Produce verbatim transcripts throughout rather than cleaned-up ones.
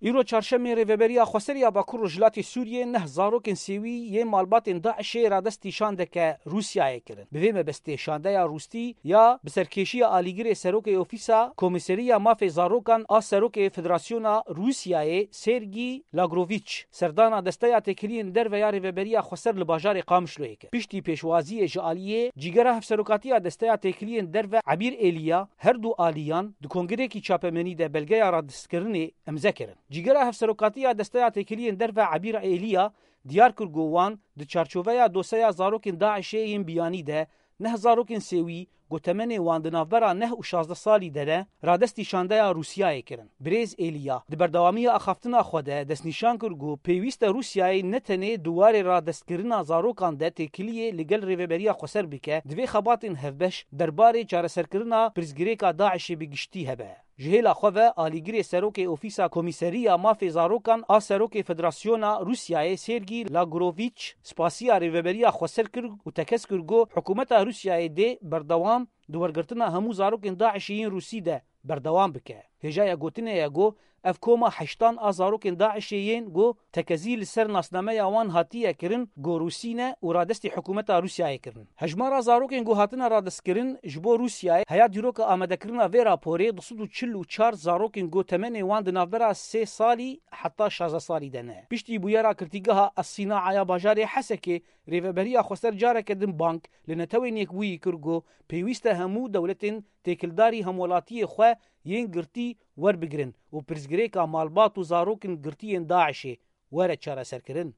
Îro çarşemê Rêveberiya Xweser ya Bakur Rojhilatê Sûriyê neh zarokên sêwî yên malbatên DAIŞ'ê radestî şandeke Rûsyayê kirin. Bi vê mebestê şandeya rûstî ya bi serkêşiya alîgirê serokê Ofîsa Komîseriya Mafê Zarokan a Serokê Federasyona Rûsyayê Sergî Lagrovîç serdana Desteya Têkiliyên Derve ya Rêveberiya Xweser li bajarê Qamişloyê kir. Piştî pêşwaziyê ji aliyê Cîgera Hevserokatiya Desteya Têkiliyên Derve Ebîr Êliya, her du aliyan di kongirêkî çapemenî de belgeya radestkirinê îmze kirin. Cîgera Hevserokatiya Desteya Têkiliyên Derve Ebîr Êliya diyar kir ku wan di çarçoveya doseya zarokên DAIŞ'ê yên biyanî de neh zarokên sêwî ku temenê wan di navbera neh û şazdeh salî de ne, radestî şandeya Rûsyayê kirin. Birêz Êliya di berdewamiya axaftina xwe de destnîşan kir ku pêwîst e Rûsyayê ne tenê di warê radestkirina zarokan de têkiliyê li gel Rêveberiya Xweser bike, divê xebatên hevbeş derbarê çareserkirina pirsgirêka DAIŞ'ê bi giştî hebe. Ji hêla xwe ve alîgirê serokê Ofîsa Komîseriya Mafê Zarokan a Serokê Federasyona Rûsyayê Sergî Lagrovîç spasiya Rêveberiya Xweser kir û tekez kir ku hikûmeta Rûsyayê dê berdewam di wergirtina hemû zarokên DAIŞ'ê yên Rûsî de berdewam bike. Hêjaya gotinê ye ku ev koma heştan a zarokên DAIŞ'ê yên ku tekezî li ser nasnameya wan hatiye kirin ku Rûsî ne û radestî hikûmeta Rûsyayê kirin. Hejmara zarokên ku hatine radestkirin ji bo Rûsyayê heya dîroka amadekirina vê raporê du sed û çil û çar zarokên ku temenê wan di navbera sê salî heta şazdeh salî de ne. Piştî bûyera girtîgeha As-Sînaa ya bajarê Hesekê, Rêveberiya Xweser careke din bang li Netewên Yekbûyî kir ku pêwîst e hemû dewletên têkildarî hemwelatiyê xwe yên girtî werbigirin û pirsgirêka malbat û zarokên girtiyên DAIŞ'ê were çareserkirin.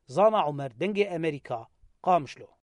Zana Omer, Dengê Amerîka, Qamişlo.